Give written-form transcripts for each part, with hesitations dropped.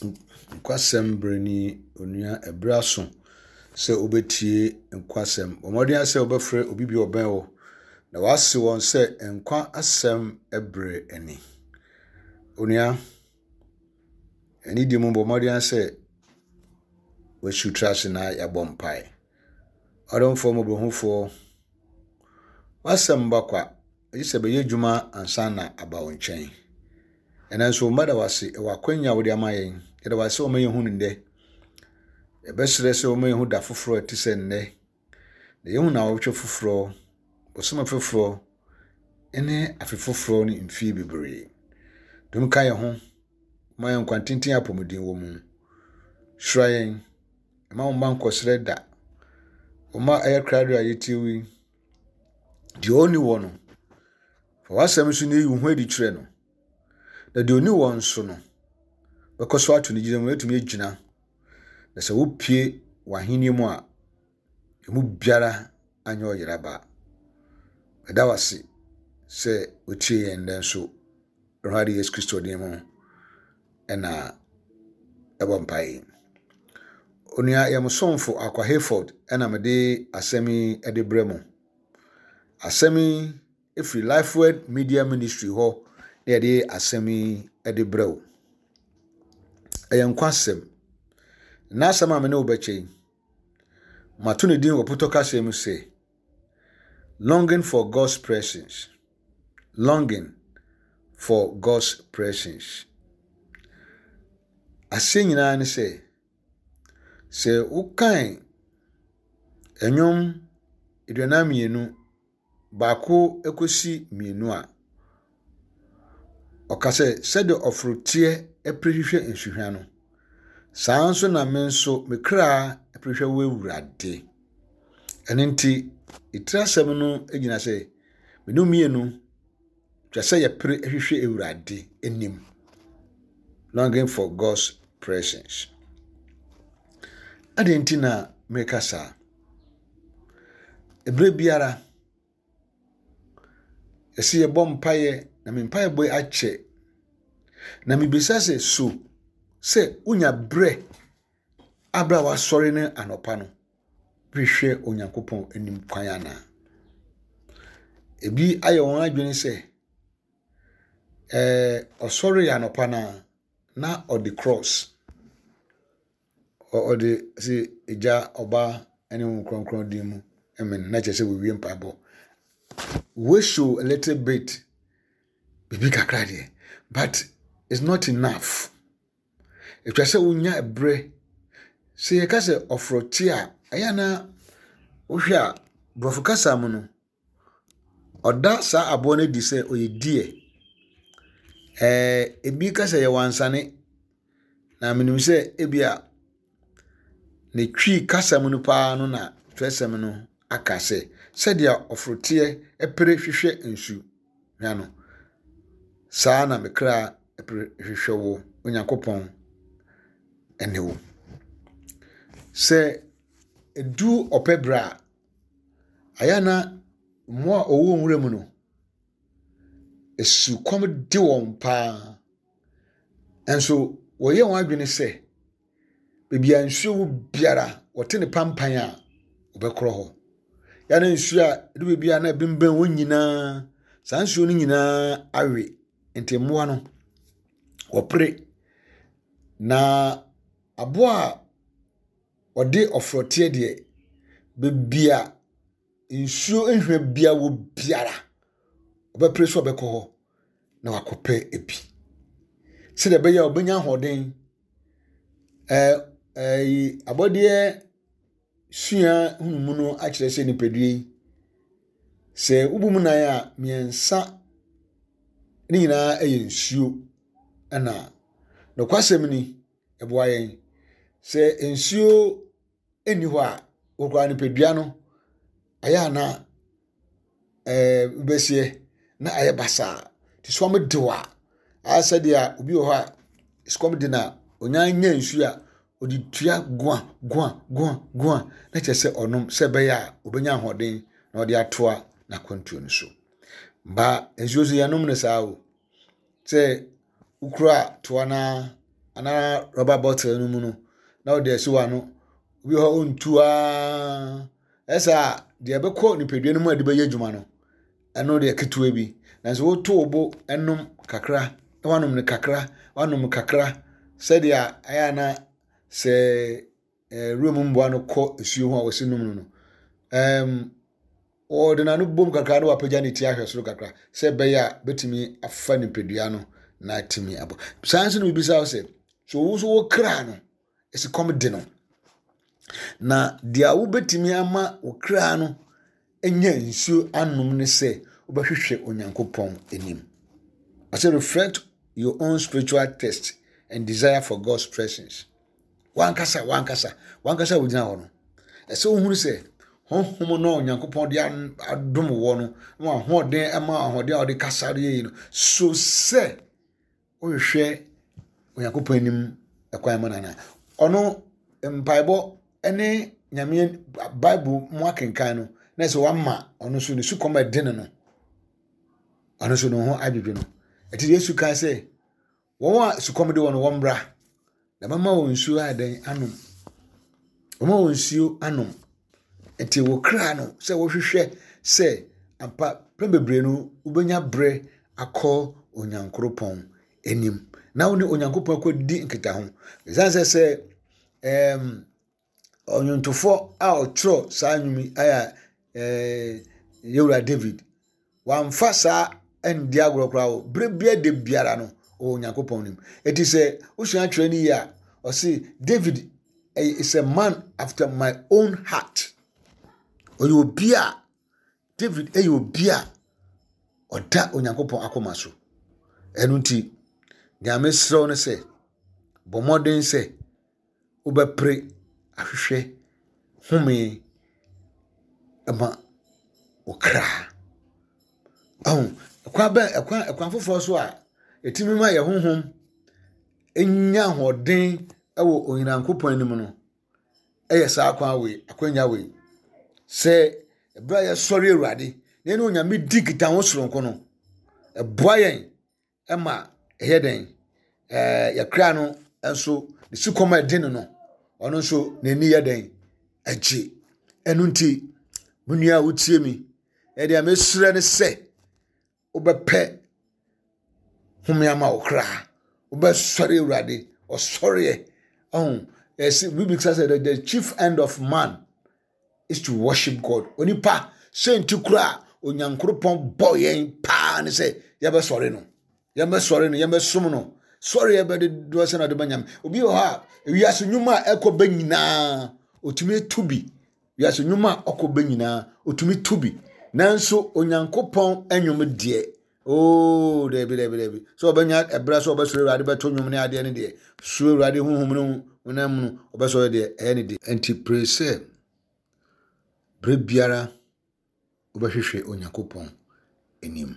Nokwasɛm bere ni, onua ɛbere aso sɛ wobɛtie nkwasɛm. Bɔ mmɔden ara sɛ wobɛfrɛ obi bi a ɔbɛn wo na wase wɔn sɛ nkwa asɛm bere ni. Onua, anidie mu bɔ mmɔden ara sɛ wasiw tra ase na yɛabɔ mpae. Ɔdomfoɔ mmɔborɔhufoɔ, w'asɛm mma kwa, gye sɛ bɛyɛ adwuma ansa na aba wo nkyɛn. Ɛnɛ nso, mma da wase wɔ akwanya a wode ama yɛn. Yɛda wase sɛ wɔma yɛhu no nnɛ. Yɛbɛsrɛ sɛ wɔma yɛhu da foforɔ a ɛte sɛ nnɛ. Na yɛhu naawɔtwe foforɔ, bosome foforɔ, ne afe foforɔ ne mfie bebree. Dom ka yɛn ho, ma yɛn nkwa tenten apɔmuden wɔ mu. Hyira yɛn, mma wo mma nkɔsrɛ da. Wo mma ɛyɛ krado a yɛtie wo yi, deɛ ɔnni wɔ no, fa w'asɛm so na yi wo ho adi kyerɛ no. Na deɛ ɔni wɔ nso no, bɛkɔ so ato ne gyina mu, atumi agyina. Na sɛ wopue w'ahenni mu a, emu biara anyɛ ɔyera ba. Meda wo ase sɛ wotie yɛn nnɛ nso. Awurade Yesu Kristo din mu ɛna ɛbɔ mpae yi. Onua yɛn somfo Akwa Hayford ɛna mede asɛm yi de brɛ mo. Asɛm yi firi Lifeword Media Ministry hɔ na yɛde asɛm yi de brɛ wo. Ɛyɛ nkwa asɛm. N'asɛm a me ne wo bɛkyɛ yi, mato ne din wɔ potɔ kasa mu sɛ Longing for God's Presence. Longing for God's Presence. Aseɛ nyinaa ne sɛ, sɛ wokan nnwom 42 baako kɔsi mmienu a, ɔka sɛ, sɛdeɛ ɔforoteɛ pere hwehwɛ nsuhwa no, saa ara nso na me nso me kra pere hwehwɛ wo Awurade. Ɛno nti, etiri asɛm no gyina sɛ, mene mmienu twa sɛ yɛpere hwehwɛ Awurade anim. Longing for God's presence. Adɛn nti na meka saa? Ɛberɛ biara, ɛsɛ yɛbɔ mpaeɛ na me mpaebɔ yi akyɛ. Na mebisa sɛ, so sɛ wonya berɛ a berɛ a wasɔre no anɔpa no hwehwɛ Onyankopɔn anim kwan anaa? Ebi ayɛ wɔn adwene sɛ ɛɛ ɔsɔre anɔpa no a na ɔde cross ɔde se Agya, Ɔba ne Honhom Kronkron din mu amen na kyerɛ sɛ wɔwie mpaebɔ. We show a little bit biribi kakra deɛ but it's not enough. Ɛtwa sɛ wonya berɛ sɛ yɛka sɛ ɔforote a ɛyɛ na wohwɛ a borɔfo kasa mu no Ɔda saa aboa no adi sɛ ɔyɛ deer. Ɛɛ ebi ka sɛ ɛyɛ wansane, na menim sɛ ebia ne Twi kasa mu no pa ara no na twerɛsɛm no aka sɛ, sɛdeɛ ɔforoteɛ pere hwehwɛ nsu hwa no, saa ara na me kra pere hwehwɛ wo, Onyankopɔn ne wo. Sɛ ɛdu ɔpɛ berɛ a, Ayɛ a na mmoa a wɔwɔ nwura mu no, sukɔm de wɔn pa ara. Nanso wɔyɛ wɔn adwene sɛ, baabi a nsuo wɔ biara, wɔte no pampan a, wɔbɛkorɔ hɔ. Yɛ a na nsuo a ɛdu baabi a na ɛbemmɛn wɔn nyinaa, saa nsuo no nyinaa awe. Nti mmoa no, wɔpere. Na aboa a Ɔde ɔforoteɛ deɛ, baabi a nsuo nhwa biara wɔ biara, ɔbɛpere sɛ ɔbɛkɔ hɔ na wakɔpɛ bi. Sɛdeɛ ɛbɛyɛ a ɔbɛnya ahoɔden. Ɛɛ ɛɛ abɔdeɛ sua nhunumu no akyerɛ sɛ nipadua yi, sɛ wobu mu nan a, mmiɛnsa ne nyinaa yɛ nsuo. Ɛna nokwasɛm ni, ɛboa yɛn. Sɛ nsuo nni hɔ a, wo koraa nipadua no, ɛyɛ a na ɛɛ wobɛseɛ na ayɛ basaa. Nti sukɔm de wo a, ayɛ sɛ deɛ obi wɔ hɔ a sukɔm de no a, ɔnya nya nsuo a, ɔde tua goa goa goa goa na kyerɛ sɛ ɔnom sɛ ɛbɛyɛ a ɔbɛnya ahoɔden na ɔde atoa n'akwantuo no so. Ba nsuo nso yɛnom no saa o. Sɛ wokura toa no ara. anaa rɔba bottle no mu no na wode asi w'ano. Obi wɔ hɔ a ɔntu ara. Ɛsɛ a deɛ ɛbɛkɔ nipadua no mu a ɛde bɛyɛ adwuma no, ɛno deɛ ketewa bi. Nanso woto wo bo nom kakra, na wanom no kakra, wanom kakra sɛdeɛ ɛyɛ a na sɛ eh, wuram mmoa no kɔ nsuo ho a wɔsi nom no no. Um, wɔde n'ano bom kakra na wapagya ne ti ahwɛ soro kakra sɛ ɛbɛyɛ a bɛtumi afa nipadua no na atumi abɔ. Saa nso na bibisa wo sɛ, so wo nso wo kra no, esukɔm de no? Na deɛ wobɛtumi ama wo kra no anya nsuo anom ne sɛ wobɛhwehwɛ Onyankopɔn anim. Ɔsɛ reflect your own spiritual thirst and desire for God's presence. Wankasa, wankasa, wankasa wogyina hɔ no. Ɛsɛ wohunu sɛ honhom no a Onyankopɔn de adom wɔ no, na ahoɔden ɛma ahoɔden a ɔde kasa de yɛ yi no, so sɛ wohwehwɛ Onyankopɔn anim ɛkwan ma no anaa. Ɔno mpaebɔ ne Nyame Bible mu akenkan no, na ɛsɛ wama ɔno nso ne sukɔm a ɛde no no, ɔno nso ne ho adwodwo no. Ɛti Yesu kan sɛ, wɔn a sukɔm de wɔn no wɔmmra, na mɛma wɔn nsuo ayɛ dɛn anom. Wɔma wɔn nsuo anom. Nti wo kra no sɛ wohwehwɛ sɛ ampa pɛn bebree no wobɛnya berɛ akɔ Onyankoropɔn anim na wo ne Onyankopɔn akɔdi nkitaho. Ɛsiane sɛ sɛ ɛɛm ɔnwontofoɔ a ɔtwerɛ saa nnwom yi ayɛ ɛɛ yɛwura David wamfa saa ndi agorɔ koraa o berɛ biara da biara no ɔwɔ Onyankopɔn nim. Eti sɛ wosua atwerɛ no yie a ɔse David is a man after my own heart. Ɔyɛ obi a David yɛ obi a ɔda Onyankopɔn akoma so. Ɛno nti, nea mesrɛ wo ne sɛ, bɔ mmɔden sɛ wobɛpere ahwehwɛ home ma wo kra. Ahu, ɛkwan bɛn, ɛkwan, ɛkwan foforɔ so a ɛtumi ma yɛn honhom nya ahoɔden wɔ Onyankopɔn anim no, yɛ saa kwan wei, akwanya wei. Sɛ ɛberɛ a yɛsɔre Awurade na yɛne Onyame di nkitaho soronko no, ɛboa yɛn ma ɛyɛ dɛn? Ɛɛ yɛkra no nso ne sukɔm a ɛde no no, ɔno nso n'ani yɛ dɛn? Agye. Ɛno nti, mo nua a wotie mi, ɛdeɛ mesrɛ ne sɛ wobɛpɛ home ama wo kra. Wobɛsɔre Awurade, ɔsɔreɛ. Ɔho, ɛsɛ bibi kasa sɛ the chief end of man is to worship God. Onipa sɛ nti kora Onyankoropɔn bɔ yɛn paa ne sɛ yɛbɛsɔre no. Yɛbɛsɔre no, yɛbɛsom no. Sɔre yɛbɛde doɔ sɛ na ɔde bɛnyam. Obi wɔ hɔ a, ewiase nnwuma a ɛkɔ bɛ nyinaa, otumi tu bi. Wiase nnwuma a ɔkɔ bɛ nyinaa, otumi tu bi. Nanso Onyankopɔn nnwom deɛ, oo, daabi, daabi, daabi. Sɛ ɔbɛnya ɛberɛ sɛ ɔbɛsɔre Awurade bɛto nnwom ne adeɛ no deɛ, suro Awurade honhom ne honam mu no, ɔbɛsɔre deɛ, ɛyɛ ne de. Enti pere sɛ berɛ biara wobɛhwehwɛ Onyankopɔn anim.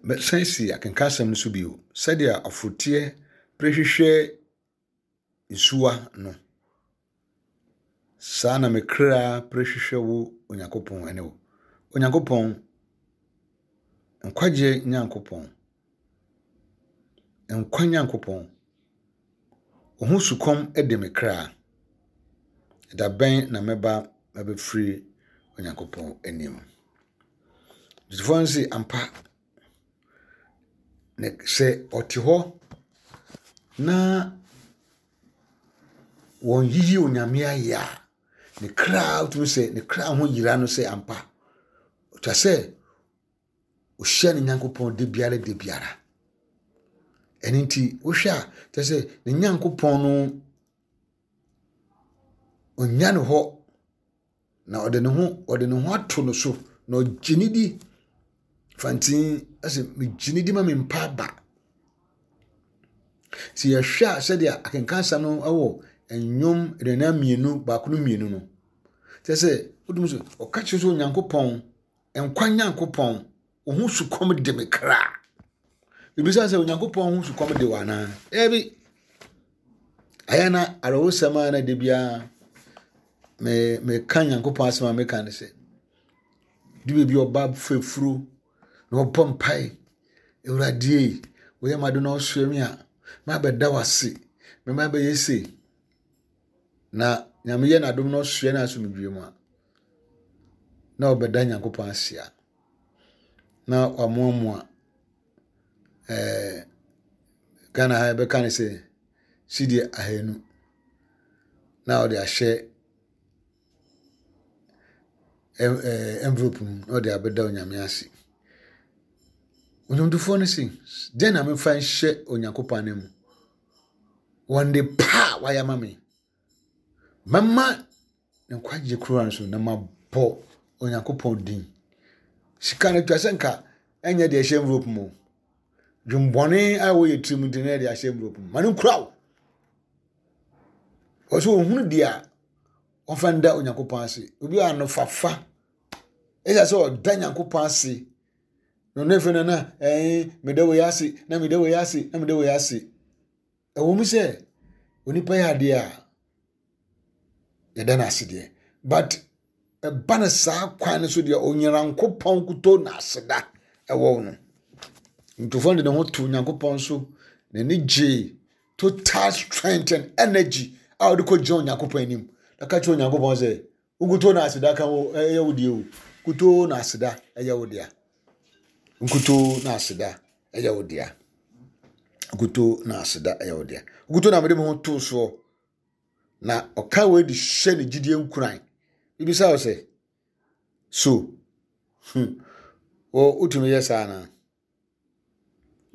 Mɛsan si akenkansɛm no so bio. Sɛdeɛ ɔforoteɛ pere hwehwɛ nsuwa no, saa na me kra pere hwehwɛ wo Onyankopɔn ne wo. Onyankopɔn, nkwagyeɛ Nyankopɔn, nkwa Nyankopɔn, wo ho sukɔm de me kra. Da bɛn na mɛba abɛfiri Onyankopɔn anim? Gyefoɔ no se, ampa, na sɛ ɔte hɔ na wɔyiyi Onyame ayɛ a, ne kra wotumi sɛ ne kra ho yera no sɛ ampa. Ɔtwa sɛ ɔhyia ne Nyankopɔn da biara da biara. Ɛno nti wohwɛ a kyerɛ sɛ ne Nyankopɔn no ɔnya ne hɔ Na ɔde ne ho ɔde ne ho ato no so na ɔgye ne di fantin ɛsɛ megye ne di ma me mpa aba. Sɛ yɛhwɛ a sɛdeɛ akenkansɛm no wɔ nnwom 42 baako no mmienu no kyerɛ sɛ wotumi sɛ ɔka kyerɛ sɛ Onyankopɔn nkwa Nyankopɔn wo ho sukɔm de me kra. Ebisa sɛ Onyankopɔn ho sukɔm de wo anaa? Dabi. Ayɛ na awerɛhosɛm a na da biara me meka Nyankopɔn asɛm a meka ne sɛ de baabi ɔba fafuro na ɔbɔ mpae Awurade ei woyɛ m'ade na ɔsoɛ me a. Mabɛda wo ase. Mema bɛyɛ sei. Na Nyame yɛ n'adom na ɔsoɛ no asomdwie mu a, na ɔbɛda Nyankopɔn ase a, na wamoamoa ɛɛ Ghana ha yɛbɛka no sɛ sidi ahanu na ɔde ahyɛ envelope mu na ɔde abɛda Onyame ase. Nnwomtofoɔ no se, deɛn na memfa nhyɛ Onyankopɔn ananmu? Wɔ nde pa a wayɛ ama me. Mɛma ne nkwagye kura no so na mabɔ Onyankopɔn din. Sika no twa sɛ nka ɛnyɛ deɛ ɛhyɛ envelope mu. Dwembɔne a ɛwɔ yɛ tirim nti na ɛde ahyɛ envelope mu. Ma no nkura wo. Ɔsɛ ohunu deɛ a ɔmfa nda Onyankopɔn ase. Obi a anofafa ɛsɛ sɛ ɔda Nyankopɔn ase. Na ɔno afei no na ɛn meda wei ase na meda wei ase na meda wei ase. Ɛwɔ mu sɛ onipa yɛ adeɛ a yɛda no ase deɛ but ɛba no saa kwan no so deɛ Onyankopɔn kuto na aseda ɛwɔ no. Nkurɔfoɔ de ne ho to Onyankopɔn so n'ani gyee total strength and energy a ɔde kɔgyina Onyankopɔn anim na ka kyerɛ Onyankopɔn sɛ nkutoo na aseda ka wo ɛyɛ wo deɛ o nkutoo na aseda ɛyɛ wo dea nkutoo na aseda ɛyɛ wo dea nkutoo na aseda ɛyɛ wo dea nkutoo na mede me ho too soɔ na ɔka wei de hyɛ ne gyidie nkuran ebisa wo sɛ so wɔ wotumi yɛ saa anaa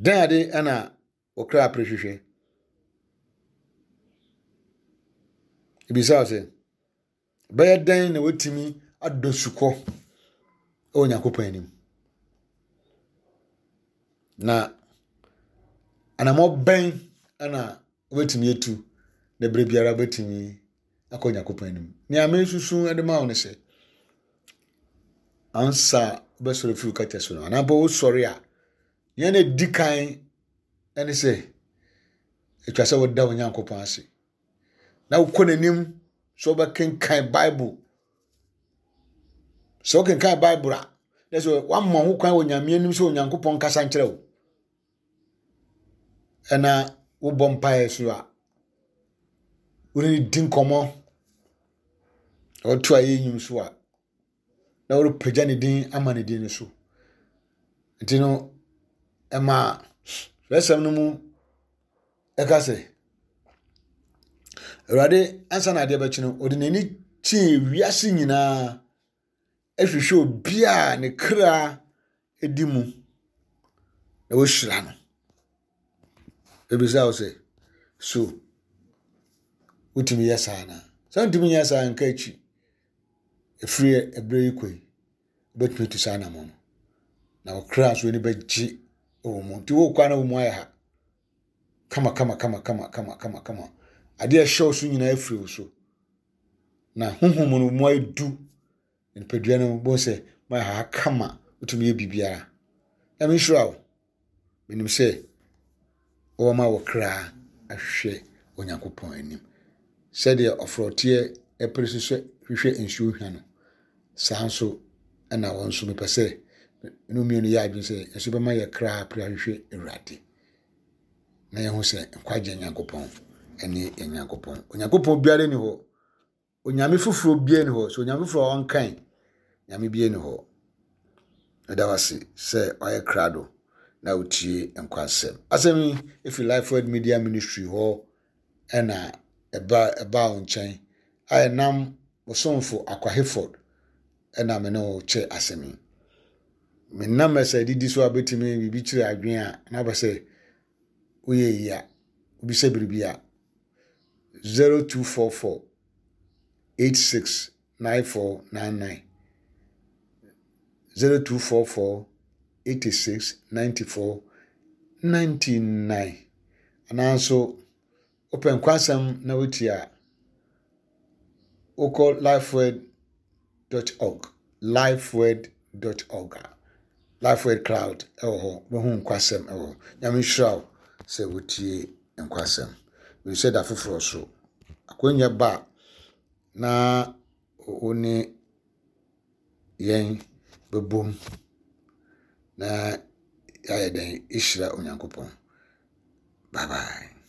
dɛn ade ɛna wo kra pere hwehwɛ. Ebisa wo sɛ, ɛbɛyɛ dɛn na woatumi adɔ sukɔ wɔ Onyankopɔn anim? Na anammɔn bɛn na wobɛtumi atu na berɛ biara wobɛtumi akɔ Onyankopɔn anim? Nea mesusu de ma wo ne sɛ, ansa wobɛsɔre firi wo kɛtɛ so no, anaa mpo wosɔre a, Nea na edi kan ne sɛ, etwa sɛ woda Onyankopɔn ase, na wokɔ n'anim sɛ wobɛkenkan Bible. Sɛ wokenkan Bible a, na sɛ woama ho kwan wɔ Nyame anim sɛ Onyankopɔn nkasa nkyerɛ wo. Ɛna wobɔ mpaeɛ so a, wone no di nkɔmmɔ, ɔto ayɛ nnwom so a, na ɔrepagya ne din ama ne din no so. Nti no, ɛma twerɛsɛm no mu ɛka sɛ, Awurade ansa na adeɛ bɛkye no, ɔde n'ani kyee wiase nyinaa hwehwɛ obi a ne kra di mu na wahyira no. Ebisa wo sɛ, so wotumi yɛ saa anaa? Sɛ wontumi nyɛ saa nka akyi. Ɛfiri ɛberɛ yi kɔ yi, wobɛtumi atu saa anammɔn no. Na wo kra nso ani bɛgye wɔ mu. Nti wokɔ a na wo mu ayɛ ha. Kama kama kama kama kama kama kama. Adeɛ a ɛhyɛ wo so nyinaa afiri wo so. Na honhom no mu ayɛ du. Nipadua no bɛhu sɛ mu ayɛ ha kama. Wotumi yɛ biribiara. Nyame nhyira wo. Menim sɛ wɔbɛma wo kra ahwɛ Onyankopɔn anim. Sɛdeɛ ɔforoteɛ pere so sɛ hwehwɛ nsuo hwa no, saa nso na wɔn nso mepɛ sɛ ne mmienu yɛ adwene sɛ nso bɛma yɛ kra apere ahwehwɛ Awurade. Na yɛho sɛ nkwagye Nyankopɔn ne yɛn Nyankopɔn. Onyankopɔn biara ni hɔ Onyame foforɔ biara ni hɔ. Sɛ onyame foforɔ a ɔnkan nyame biara ni hɔ. Meda wo ase sɛ wayɛ krado na wotie nkwasɛm. Asɛm yi efi Life Word Media Ministry hɔ ɛna ɛba ɛbaa wo nkyɛn a ɛnam ɔsomfo Akwa Hayford ɛna me ne wo kyɛ asɛm yi. Me numbers a ɛdidi so a bɛtumi biribi kyerɛ adwene a na wopɛ sɛ woyɛ yi a wobisa biribi a 0244 86 9499 0244 86 94 99 anaa nso wopɛ nkwasɛm na wotie a wokɔ lifeword dot org lifeword dot org a lifeword cloud ɛwɔ hɔ wobɛhu nkwasɛm ɛwɔ hɔ nyame nhyira wo sɛ wotie nkwasɛm menim sɛ da foforɔ so akwanya ba a na wo ne yɛn bɛbom na yɛayɛ dɛn ahyira Onyankopɔn. Bye bye.